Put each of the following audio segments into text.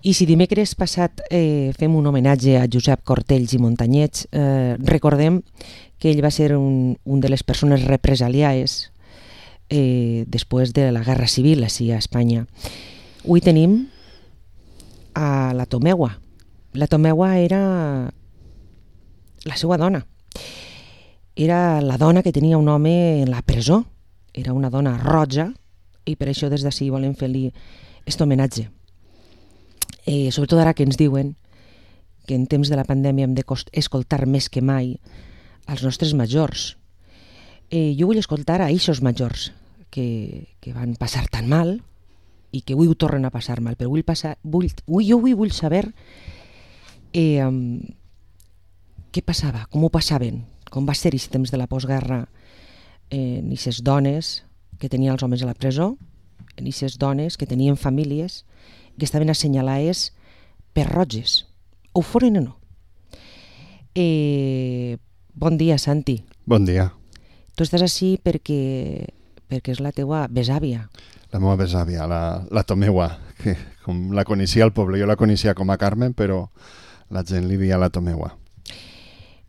I si dimecres passat fem un homenatge a Josep Cortells i Montanyets, recordem que ell va ser un de les persones represaliades després de la Guerra Civil així a Espanya. Avui tenim a la Tomegua. La Tomegua era la seva dona. Era la dona que tenia un home en la presó. Era una dona roja i per això des d'ací volem fer-li aquest homenatge. Sobretot ara que ens diuen que en temps de la pandèmia hem d'escoltar més que mai als nostres majors. Jo vull escoltar a eixos majors que van passar tan mal i que avui ho tornen a passar mal, però jo vull saber què passava, com ho passaven, com va ser aquest temps de la postguerra en aquestes dones que tenien els homes a la presó, en aquestes dones que tenien famílies que estaven assenyalades per roges, ho foren o no. Bon dia, Santi. Bon dia. Tu estàs així perquè és la teua besàvia. La meva besàvia, la Tomegua, que com la coneixia al poble, jo la coneixia com a Carmen, però la gent li deia la Tomegua.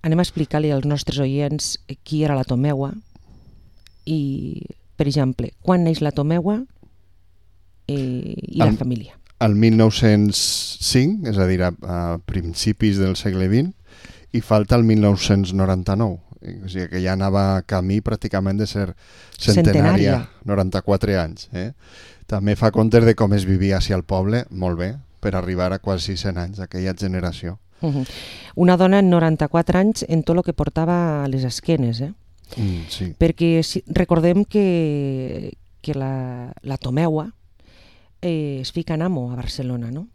Anem a explicar-li als nostres oients qui era la Tomegua i, per exemple, quan neix la Tomegua i la família. El 1905, és a dir, a principis del segle XX, i falta el 1999. O sigui que ja anava camí pràcticament de ser centenària, 94 anys. També fa comptes de com es vivia així al poble, molt bé, per arribar a quasi 100 anys, aquella generació. Una dona en 94 anys en tot el que portava a les esquenes, Sí. Perquè recordem que la Tomegua es fica en amo a Barcelona, no?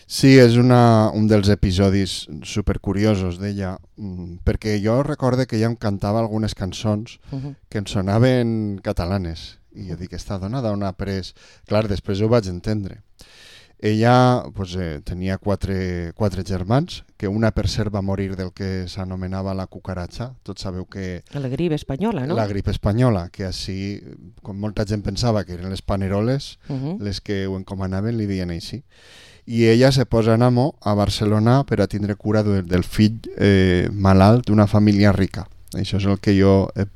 Sí, és un dels episodis supercuriosos d'ella, perquè jo recorde que ella em cantava algunes cançons que em sonaven catalanes, i jo dic, esta dona d'on ha après? Clar, després ho vaig entendre. Ella tenia quatre germans, que una per cert va morir del que s'anomenava la cucaratxa. Tots sabeu que... La grip espanyola, no? La grip espanyola, que així, com molta gent pensava que eren les paneroles, les que ho encomanaven, li deien així. I ella se posa en amo a Barcelona per a tindre cura del fill malalt d'una família rica. Això és el que jo he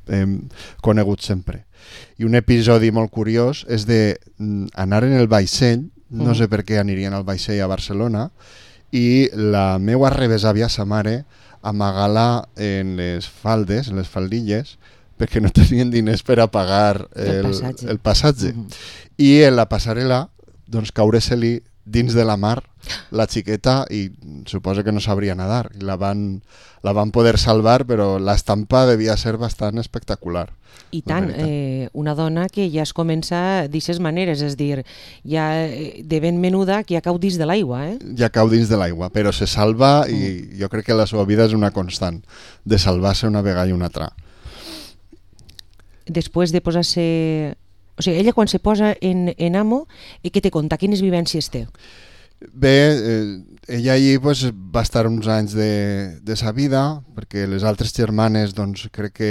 conegut sempre. I un episodi molt curiós és d'anar en el vaixell, no sé per què anirien al vaixell a Barcelona, i la meua rebesàvia, sa mare, amagar-la en les faldes, en les faldilles, perquè no tenien diners per a pagar el passatge. I en la passarel·la, doncs, caure-se-li dins de la mar la xiqueta i suposo que no sabria nedar. I la van poder salvar, però l'estampa devia ser bastant espectacular. I tant, una dona que ja es comença d'aquestes maneres, és dir, ja de ben menuda que ja cau dins de l'aigua. Ja cau dins de l'aigua, però se salva i jo crec que la seva vida és una constant, de salvar-se una vegada i una altra. Després de posar-se... O sigui, ella quan se posa en amo, què te conta? Quines vivències té? Bé, ella allí va estar uns anys de sa vida, perquè les altres germanes, doncs, crec que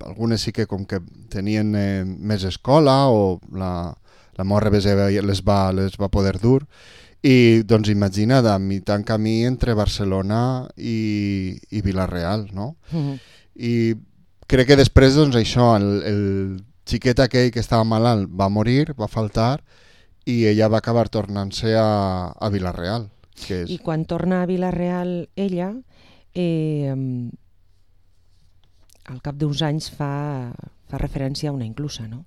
algunes sí que com que tenien més escola o la meva rebesàvia les va poder dur, i doncs imagina't, a mitjà camí entre Barcelona i Vila-real, no? I crec que després, doncs, això, el xiquet aquell que estava malalt va morir, va faltar, i ella va acabar tornant-se a Vila-real. I quan torna a Vila-real ella, al cap d'uns anys fa referència a una inclusa, no?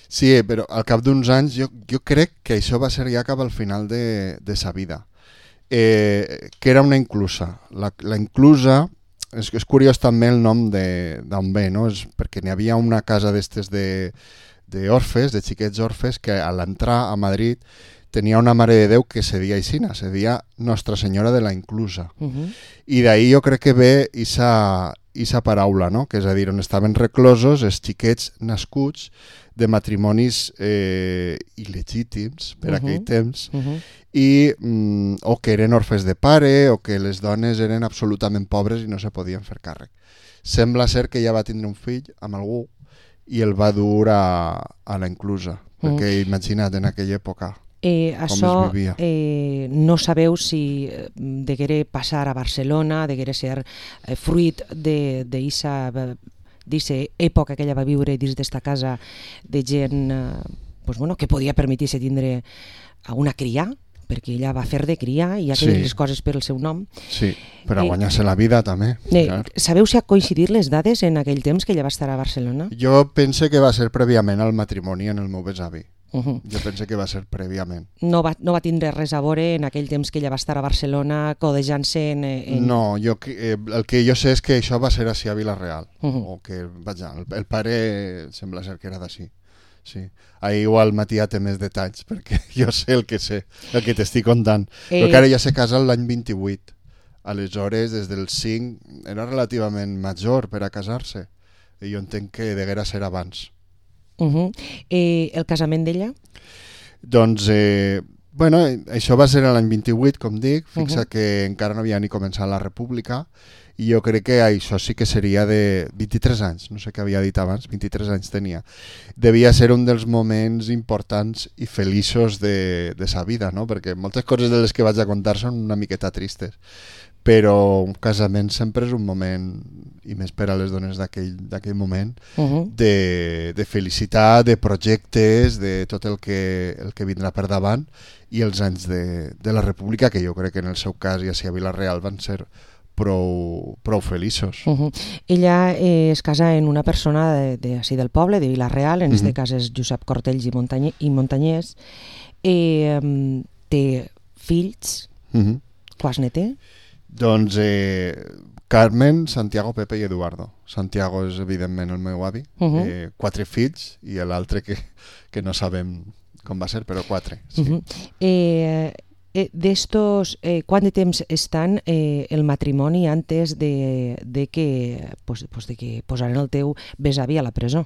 Sí, però al cap d'uns anys jo crec que això va ser ja cap al final de sa vida. Que era una inclusa. La inclusa, és curiós també el nom d'on ve, no? És perquè n'hi havia una casa d'estes d'orfes, de xiquets orfes, que a l'entrar a Madrid tenia una Mare de Déu que se deia aixina, se deia Nostra Senyora de la Inclusa. I d'ahir jo crec que ve esa paraula, no? Que és a dir, on estaven reclosos els xiquets nascuts de matrimonis il·legítims per aquell temps, o que eren orfes de pare, o que les dones eren absolutament pobres i no se podien fer càrrec. Sembla ser que ella va tindre un fill amb algú i el va dur a la inclusa, perquè imagina't en aquella època. Això no sabeu si deguere passar a Barcelona, deguere ser fruit d'eixa època que ella va viure dins d'esta casa de gent que podia permetir-se tindre una cria, perquè ella va fer de cria i ja que les coses per el seu nom. Sí, per a guanyar-se la vida també. Sabeu si ha coincidit les dades en aquell temps que ella va estar a Barcelona? Jo pense que va ser prèviament al matrimoni en el meu besavi. Jo pense que va ser prèviament. No va tindre res a veure en aquell temps que ella va estar a Barcelona codejant-se en... No, el que jo sé és que això va ser així a Vila-real. O que, vaja, el pare sembla ser que era d'ací. Sí. Ahir igual Matia té més detalls, perquè jo sé el que t'estic contant. Però que ara ja se casa l'any 28. Aleshores, des del 5, era relativament major per a casar-se. I jo entenc que deguera ser abans. El casament d'ella? Doncs, això va ser l'any 28, com dic. Fixa que encara no havia ni començat la república. I jo crec que això sí que seria de 23 anys, no sé què havia dit abans, 23 anys tenia. Devia ser un dels moments importants i feliços de sa vida, no? Perquè moltes coses de les que vaig a contar són una miqueta tristes, però un casament sempre és un moment, i més per a les dones d'aquell moment, de felicitat, de projectes, de tot el que vindrà per davant, i els anys de la república, que jo crec que en el seu cas i a Vila-real van ser prou feliços. Ella es casa en una persona d'ací del poble, de Vila-real, en aquest cas és Josep Cortells i Montanyès. Té fills. Quants ne té? Doncs Carmen, Santiago, Pepe i Eduardo. Santiago és evidentment el meu avi. 4 fills i l'altre que no sabem com va ser, però 4. Sí. D'estos, quant de temps estan el matrimoni antes de que posaren el teu besavi a la presó?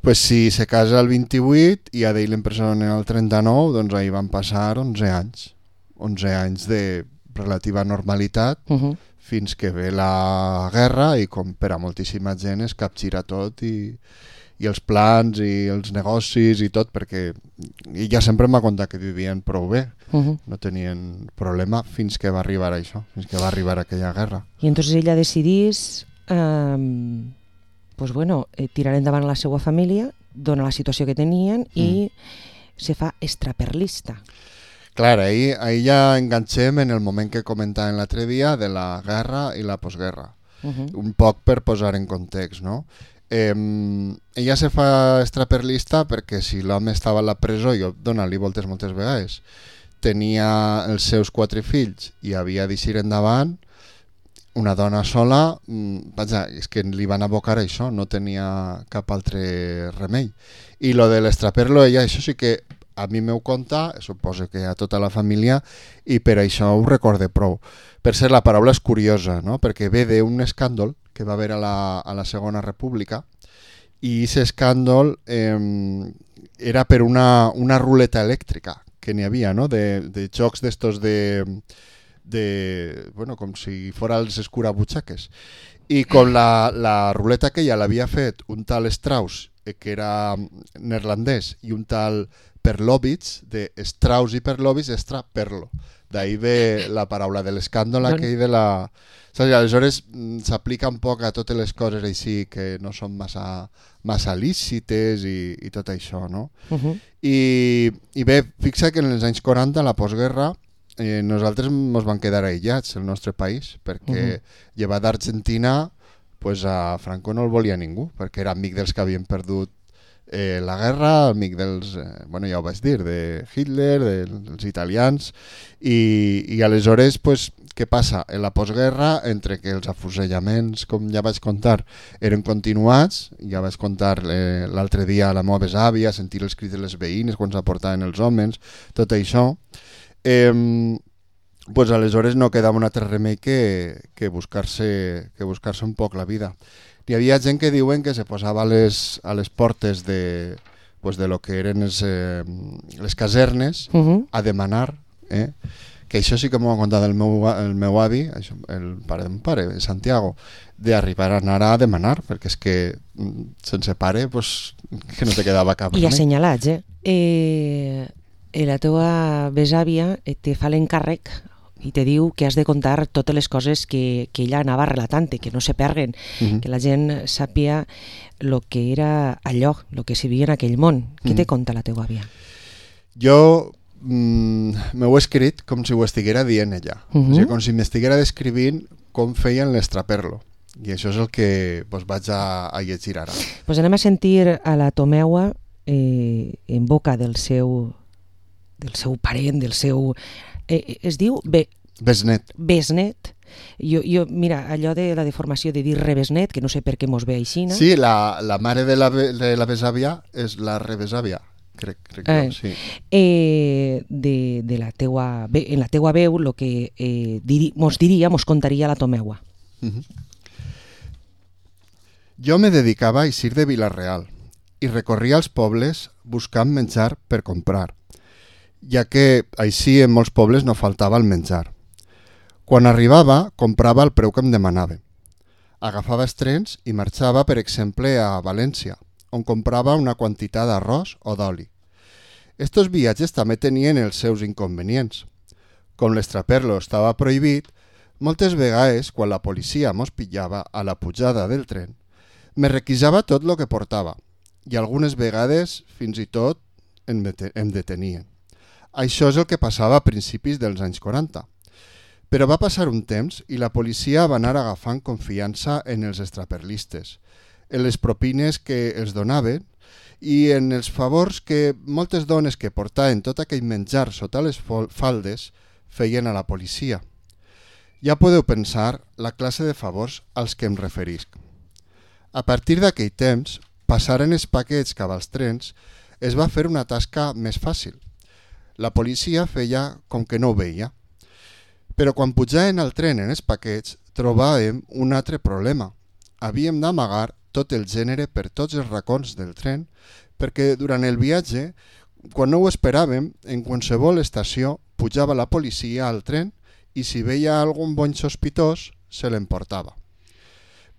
Pues si se casa el 28 i a d'ell l'empresonen el 39, doncs ahir van passar 11 anys. 11 anys de relativa normalitat fins que ve la guerra i com per a moltíssima gent es capgira tot i els plans i els negocis i tot, perquè ella sempre m'ha contat que vivien prou bé, no tenien problema fins que va arribar això, fins que va arribar aquella guerra. I entonces ella decidís tirar endavant la seva família, dona la situació que tenien i se fa extraperlista. Clar, ahí ja enganxem en el moment que comentàvem l'altre dia de la guerra i la postguerra, un poc per posar en context, no? Ella se fa extraperlista perquè si l'home estava a la presó, jo dona-li voltes moltes vegades, tenia els seus 4 fills i havia d'eixir endavant, una dona sola, és que li van abocar això, no tenia cap altre remei. I lo de l'extraperlo, ella, això sí que a mi m'ho conta, suposo que a tota la família, i per això ho recorde prou. Per ser la paraula és curiosa, no? Perquè ve d'un escàndol que va haver a la Segona República, i aquest escàndol era per una ruleta elèctrica que n'hi havia, no? De jocs d'estos com si fora els escurabutxaques. I com la ruleta aquella l'havia fet un tal Strauss, que era neerlandès, i un tal Perlovitz, de Strauss i Perlovitz, extraperlo. D'ahí ve la paraula de l'escàndol aquell de la... Aleshores s'aplica un poc a totes les coses així que no són massa lícites i tot això, no? I bé, fixa que en els anys 40, la postguerra, nosaltres ens vam quedar aïllats, el nostre país, perquè llevat d'Argentina, a Franco no el volia ningú, perquè era amic dels que havien perdut la guerra, amic dels, ja ho vaig dir, de Hitler, dels italians, i aleshores, què passa? En la postguerra, entre que els afusellaments, com ja vaig contar, eren continuats, ja vaig contar l'altre dia a la meva besàvia, sentir els crits de les veïnes quan s'aportaven els homes, tot això, aleshores no quedava un altre remei que buscar-se un poc la vida. Hi havia gent que diuen que se posava a les portes de lo que eren les casernes a demanar, que això sí que m'ho ha contat el meu avi, el pare d'un pare, Santiago, d'arribar a anar a demanar, perquè és que sense pare que no te quedava cap. I assenyalats, la teva besàvia te fa l'encàrrec i te diu que has de contar totes les coses que ella anava relatant, que no se perguen, que la gent sàpia el que era allò, el que s'hi vivia en aquell món. Què te conta la teva àvia? Jo m'ho he escrit com si ho estiguera dient ella, o sigui, com si m'estiguera descrivint com feien l'estraperlo, i això és el que vaig a llegir ara. Pues anem a sentir a la Tomeua en boca del seu parent, del seu... es diu... Besnet. Besnet. Jo, mira, allò de la deformació de dir rebesnet, que no sé per què mos ve així, no? Sí, la mare de la besàvia és la rebesàvia, crec jo, sí. En la teua veu, el que mos contaria la Tomeua. Jo me dedicava a eixir de Vila-real i recorria els pobles buscant menjar per comprar, ja que així en molts pobles no faltava el menjar. Quan arribava, comprava el preu que em demanava. Agafava els trens i marxava, per exemple, a València, on comprava una quantitat d'arròs o d'oli. Estos viatges també tenien els seus inconvenients. Com l'estraperlo estava prohibit, moltes vegades, quan la policia mos pillava a la pujada del tren, me requisava tot el que portava, i algunes vegades, fins i tot, em detenien. Això és el que passava a principis dels anys 40. Però va passar un temps i la policia va anar agafant confiança en els extraperlistes, en les propines que els donaven i en els favors que moltes dones que portaven tot aquell menjar sota les faldes feien a la policia. Ja podeu pensar la classe de favors als que em referisc. A partir d'aquell temps, passaren els paquets cap als trens es va fer una tasca més fàcil. La policia feia com que no ho veia. Però quan pujaven al tren en els paquets, trobàvem un altre problema. Havíem d'amagar tot el gènere per tots els racons del tren, perquè durant el viatge, quan no ho esperàvem, en qualsevol estació pujava la policia al tren i si veia algun bony sospitós, se l'emportava.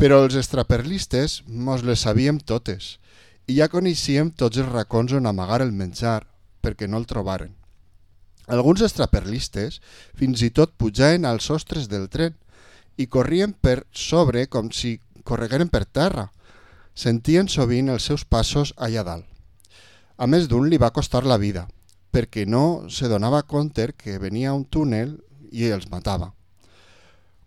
Però els extraperlistes mos les sabíem totes i ja coneixíem tots els racons on amagar el menjar perquè no el trobaren. Alguns extraperlistes fins i tot pujaven als sostres del tren i corrien per sobre com si corregueren per terra. Sentien sovint els seus passos allà dalt. A més d'un li va costar la vida, perquè no se donava compte que venia un túnel i els matava.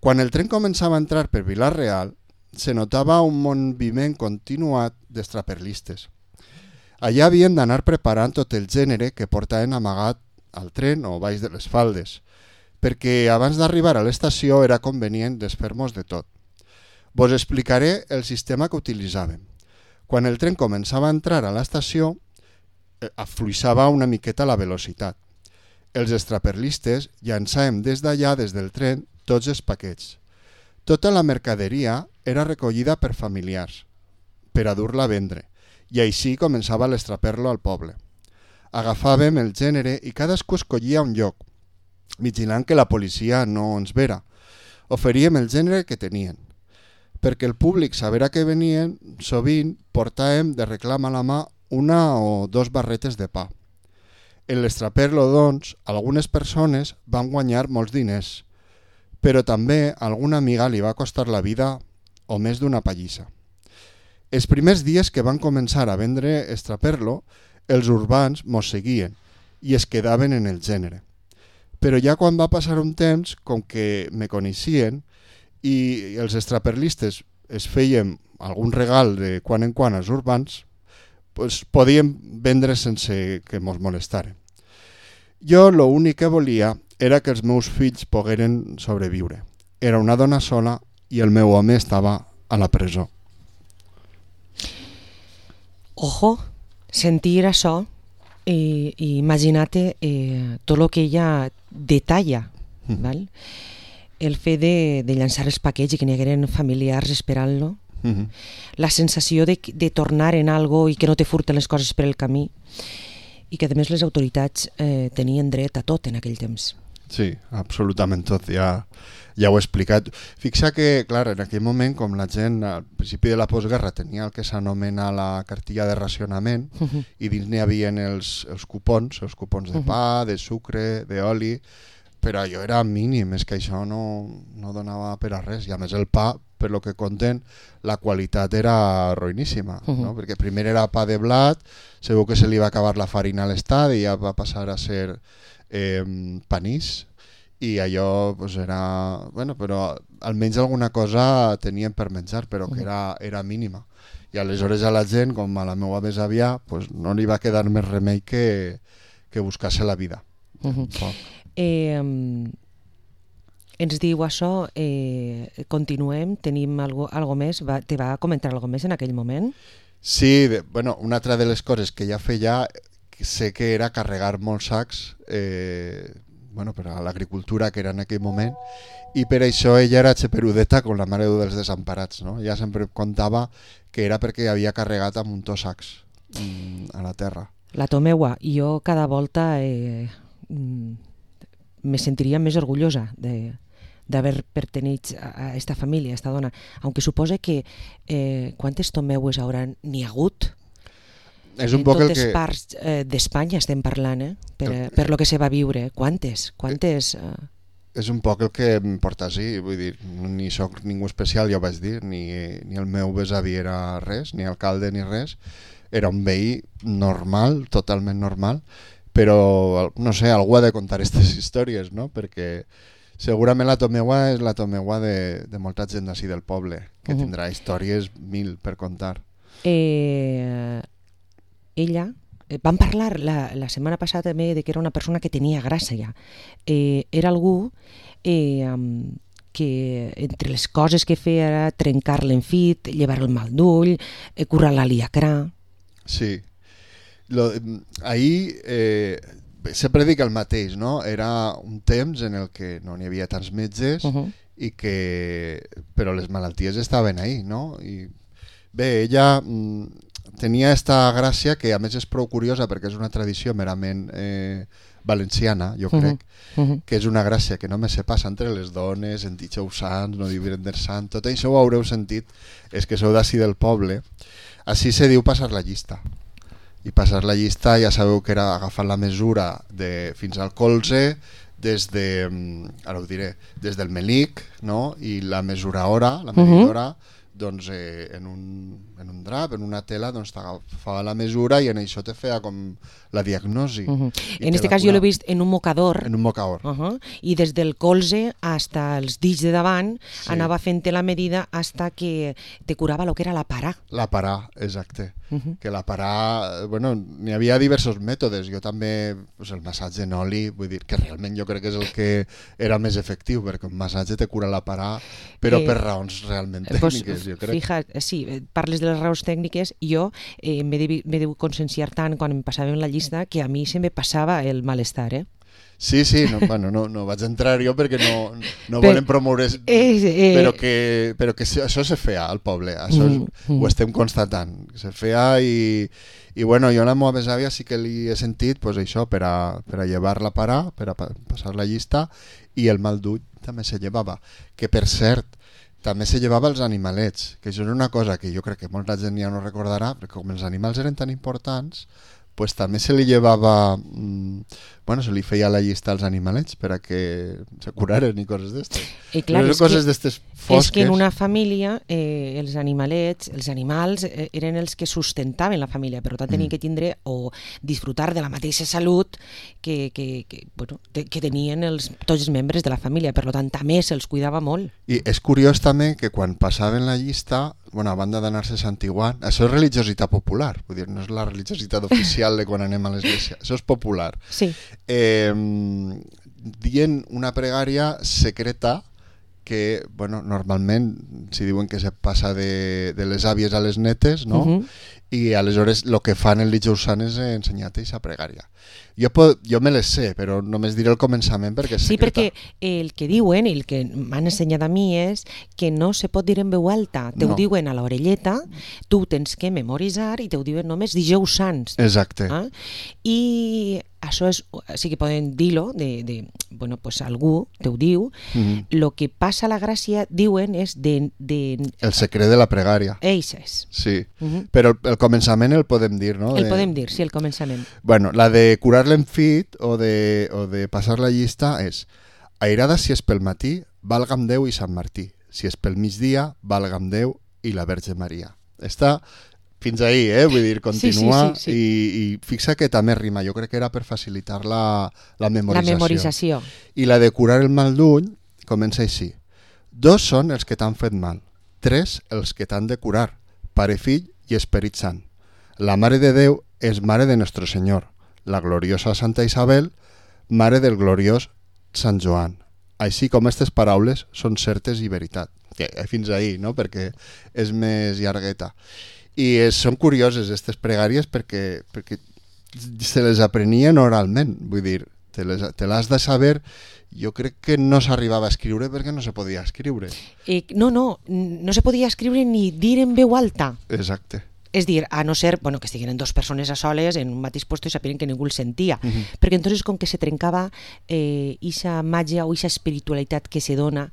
Quan el tren començava a entrar per Vila-real, se notava un moviment continuat d'extraperlistes. Allà havien d'anar preparant tot el gènere que portaven amagat al tren o baix de les faldes, perquè abans d'arribar a l'estació era convenient desfer-nos de tot. Vos explicaré el sistema que utilitzàvem. Quan el tren començava a entrar a l'estació, afluixava una miqueta la velocitat. Els extraperlistes llançàvem des d'allà, des del tren, tots els paquets. Tota la mercaderia era recollida per familiars, per a dur-la a vendre, i així començava l'estraperlo al poble. Agafàvem el gènere i cadascú escollia un lloc, vigilant que la policia no ens vera. Oferíem el gènere que tenien. Perquè el públic sabera que venien, sovint portàvem de reclam a la mà una o dos barretes de pa. En l'estraperlo, doncs, algunes persones van guanyar molts diners, però també a alguna amiga li va costar la vida o més d'una pallissa. Els primers dies que van començar a vendre extraperlo, els urbans mos seguien i es quedaven en el gènere. Però ja quan va passar un temps, com que me coneixien i els extraperlistes es feien algun regal de quan en quan als urbans, pues podíem vendre sense que mos molestaren. Jo l'únic que volia era que els meus fills pogueren sobreviure. Era una dona sola i el meu home estava a la presó. Ojo, sentir això i imaginar-te tot el que ella detalla, val? El fet de llançar els paquets i que n'hi hagueren familiars esperant-lo, la sensació de tornar en algo i que no te furten les coses per el camí i que a més les autoritats tenien dret a tot en aquell temps. Sí, absolutament tot, ja ho he explicat. Fixa que, clar, en aquell moment, com la gent al principi de la postguerra tenia el que s'anomena la cartilla de racionament i dins n'hi havia els cupons de pa, de sucre, d'oli, però allò era mínim, és que això no donava per a res, i a més el pa, per lo que conten, la qualitat era ruïníssima, no? Perquè primer era pa de blat, segur que se li va acabar la farina a l'estadi i ja va passar a ser panís, i allò pues, era... Bueno, però almenys alguna cosa tenien per menjar, però que era mínima. I aleshores a la gent, com a la meva besàvia, pues, no li va quedar més remei que buscar-se la vida. Ens diu això, continuem, tenim algo més, te va comentar algo més en aquell moment? Sí, bueno, una altra de les coses que ja feia, sé que era carregar molts sacs per a l'agricultura que era en aquell moment, i per això ella era xeperudeta com la Mare de Déu dels Desemparats, no? Ella sempre contava que era perquè havia carregat amb un sacs a la terra. La Tomeua, jo cada volta me sentiria més orgullosa d'haver pertenit a esta família, a esta dona, aunque supose que quantes Tomeues n'hi ha hagut? És un poc totes parts d'Espanya estem parlant, per lo que se va viure. Quantes? És un poc el que em porta així, vull dir, ni soc ningú especial, ja ho vaig dir, ni el meu besavi era res, ni alcalde ni res, era un veí normal, totalment normal, però, no sé, algú ha de contar aquestes històries, no? Perquè segurament la Tomeua és la Tomeua de molta gent d'ací del poble, que tindrà històries mil per contar. Ella, vam parlar la setmana passada també de que era una persona que tenia gràcia. Era algú que entre les coses que feia era trencar l'enfit, llevar el mal d'ull, curar l'aliacrà. Sí. Ahir sempre dic el mateix, no? Era un temps en el que no n'hi havia tants metges i però les malalties estaven ahí, no? I bé, ella tenia esta gràcia que a més és prou curiosa perquè és una tradició merament valenciana, jo crec, que és una gràcia que només se passa entre les dones, en Dijous Sants, no Divendres Sant, tot això ho haureu sentit, és que sou d'ací del poble. Així se diu passar la llista. I passar la llista ja sabeu que era agafar la mesura fins al colze, des del melic, no? I la mesuradora, doncs en un drap, en una tela, doncs t'agafava la mesura i en això te feia com la diagnosi. En aquest cas jo l'he vist en un mocador. En un mocador. I des del colze fins als dits de davant anava fent la medida fins que te curava el que era la parà. La parà, exacte. Que la parà, bueno, n'hi havia diversos mètodes. Jo també, el massatge en oli, vull dir que realment jo crec que és el que era més efectiu, perquè un massatge te cura la parà, però per raons realment tècniques, jo crec. Fija't, sí, parles de les raons tècniques, jo m'he de conscienciar tant quan em passava en la llista que a mi se me passava el malestar, Sí, no vaig entrar jo perquè no volem promoure, però que això se feia al poble, això ho estem constatant, se feia i bueno, jo a la meva besàvia sí que li he sentit pues, això per a llevar la parà, per a passar la llista, i el mal d'ull també se llevava, que per cert també se llevava els animalets, que això és una cosa que jo crec que molta gent ja no recordarà, perquè com els animals eren tan importants, pues també se li llevava, se li feia la llista als animalets per a que se curaren i coses d'estes. I clar, coses d'estes fosques. És que en una família els animalets, els animals eren els que sustentaven la família, per tant tenien que tindre o disfrutar de la mateixa salut que tenien tots els membres de la família, per tant també se'ls cuidava molt. I és curiós també que quan passaven la llista, a banda d'anar-se santiguant, això és religiositat popular, vull dir, no és la religiositat oficial de quan anem a l'església, això és popular. Sí. Dient una pregària secreta que, normalment, si diuen que se passa de les àvies a les netes, no? i aleshores el que fan el dijous sant és ensenyar-te aquesta pregària. Jo me les sé, però només diré el començament perquè és secreta. Sí, perquè el que diuen, el que m'han ensenyat a mi és que no se pot dir en veu alta, te ho diuen a l'orelleta, tu tens que memoritzar i te ho diuen només dijous sants. Exacte. I això és, sí que poden dir-lo, bueno, pues algú te ho diu, lo que passa a la gràcia, diuen, és el secret de la pregària. Eixes. Sí, però el començament el podem dir, no? El podem dir, sí, el començament. Bueno, la de curar l'enfit o de passar la llista és: airada si és pel matí, valga'm Déu i Sant Martí. Si és pel migdia, valga'm Déu i la Verge Maria. Està fins ahí, vull dir, continua. Sí. I fixa que també rima. Jo crec que era per facilitar la memorització. La memorització. I la de curar el mal d'ull comença així: 2 són els que t'han fet mal, 3 els que t'han de curar, Pare, Fill i Esperit Sant. La Mare de Déu és Mare de Nuestro Senyor, la gloriosa Santa Isabel, Mare del gloriós Sant Joan. Així com aquestes paraules són certes i veritat. Fins ahí, no? Perquè és més llargueta. I són curioses aquestes pregàries perquè se les aprenien oralment. Vull dir, te l'has de saber. Jo crec que no s'arribava a escriure perquè no se podia escriure. No se podia escriure ni dir en veu alta. Exacte. És dir, a no ser que estiguin 2 persones a soles en un mateix lloc i sapien que ningú el sentia. Perquè entonces com que se trencava ixa màgia o ixa espiritualitat que se dona,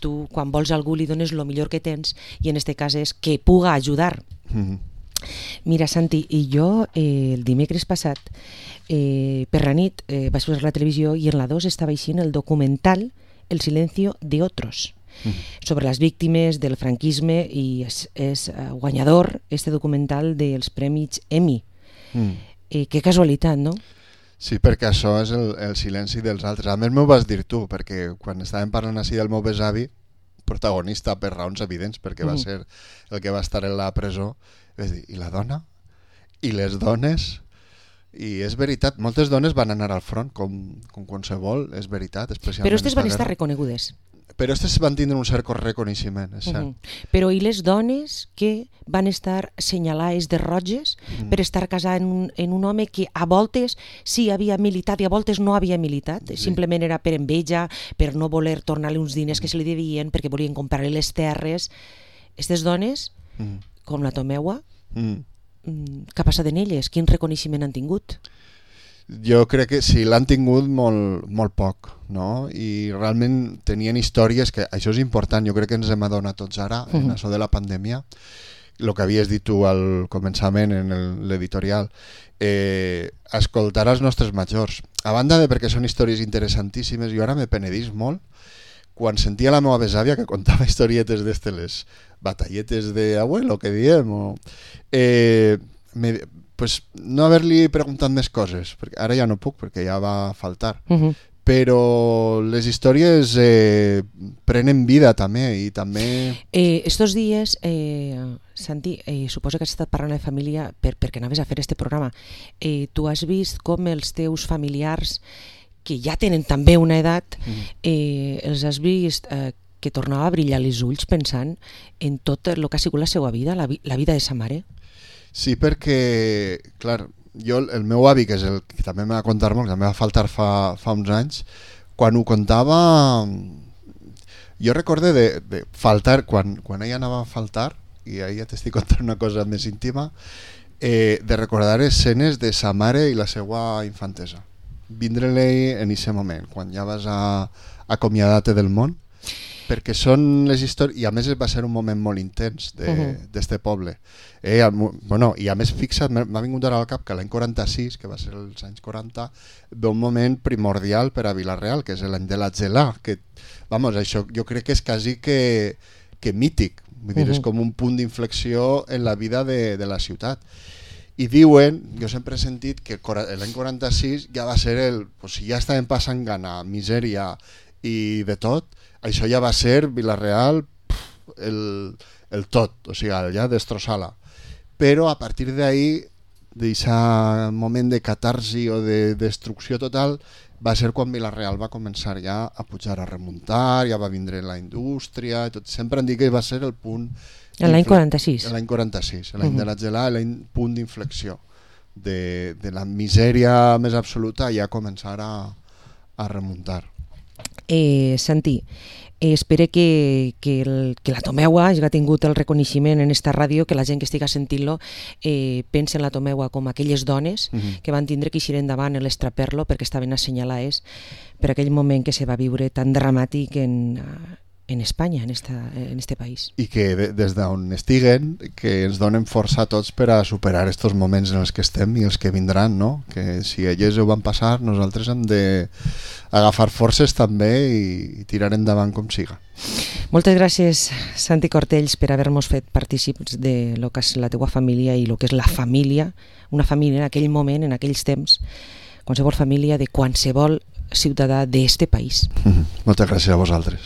tu quan vols a algú li dones el millor que tens i en este cas és que puga ajudar. Mira, Santi, i jo el dimecres passat per la nit vaig posar la televisió i en la 2 estava aixint el documental El silencio de otros, sobre les víctimes del franquisme, i és guanyador este documental dels Premis Emmy. Que casualitat, no? Sí, perquè això és el silenci dels altres. A més m'ho vas dir tu, perquè quan estàvem parlant així del meu besavi, protagonista per raons evidents, perquè va ser el que va estar en la presó, vaig dir, i la dona? I les dones? I és veritat, moltes dones van anar al front, com qualsevol, és veritat. Especialment però aquestes van estar reconegudes. Però aquestes van tindre un cert reconeixement, és cert. Però i les dones que van estar senyalades de roges per estar casades en un home que a voltes sí havia militat i a voltes no havia militat, simplement era per enveja, per no voler tornar-li uns diners que se li devien, perquè volien comprar-li les terres. Aquestes dones, com la Tomeua, què ha passat en elles? Quin reconeixement han tingut? Jo crec que sí, l'han tingut molt poc, no? I realment tenien històries que, això és important, jo crec que ens hem adonat tots ara, en això de la pandèmia, el que havies dit tu al començament en l'editorial, escoltar els nostres majors. A banda de perquè són històries interessantíssimes, jo ara me penedís molt quan sentia la meva besàvia que contava historietes d'estes, les batalletes d'abuelo, que diem, pues no haver-li preguntat més coses, perquè ara ja no puc perquè ja va faltar, però les històries prenen vida també, i també... Estos dies, Santi, suposo que has estat parlant de família perquè anaves a fer este programa. Tu has vist com els teus familiars, que ja tenen també una edat, els has vist que tornava a brillar els ulls pensant en tot el que ha sigut la seva vida, la vida de sa mare? Sí, perquè, clar, jo, el meu avi, que és el que també m'ha contat molt, que també va faltar fa uns anys, quan ho contava, jo recorde de faltar, quan ella anava a faltar, i ara ja t'estic contant una cosa més íntima, de recordar escenes de sa mare i la seva infantesa. Vindre-li en aquest moment, quan ja vas a acomiadar-te del món, perquè són les històries, i a més va ser un moment molt intens d'este poble. Bueno, i a més fixa't, m'ha vingut ara al cap que l'any 46, que va ser els anys 40, ve un moment primordial per a Vila-real, que és l'any de la gelà, que, vamos, això jo crec que és quasi que mític, vull dir, és com un punt d'inflexió en la vida de la ciutat. I diuen, jo sempre he sentit que l'any 46 ja va ser si ja estaven passant gana, misèria i de tot, això ja va ser Vila-real el tot, o sigui, ja destrossar-la. Però a partir d'ahí, d'aquest moment de catarsi o de destrucció total, va ser quan Vila-real va començar ja a pujar, a remuntar, ja va vindre la indústria, i tot. Sempre han dit que va ser el punt... L'any 46. L'any 46, l'any de la gelada, l'any punt d'inflexió. De la misèria més absoluta ja començar a remuntar. Santi, espero que la Tomeua hagi tingut el reconeixement en esta ràdio, que la gent que estiga sentint-lo pensa en la Tomeua com aquelles dones que van tindre que eixir endavant en l'estraper-lo perquè estaven assenyalades per aquell moment que se va viure tan dramàtic en Espanya, en este país. I que des d'on estiguen, que ens donen força a tots per a superar aquests moments en els que estem i els que vindran, no? Que si elles ho van passar, nosaltres hem d'agafar forces també i tirar endavant com siga. Moltes gràcies, Santi Cortells, per haver-nos fet partícips de lo que és la teua família i lo que és la família, una família en aquell moment, en aquells temps, qualsevol família de qualsevol ciutadà d'este país. Moltes gràcies a vosaltres.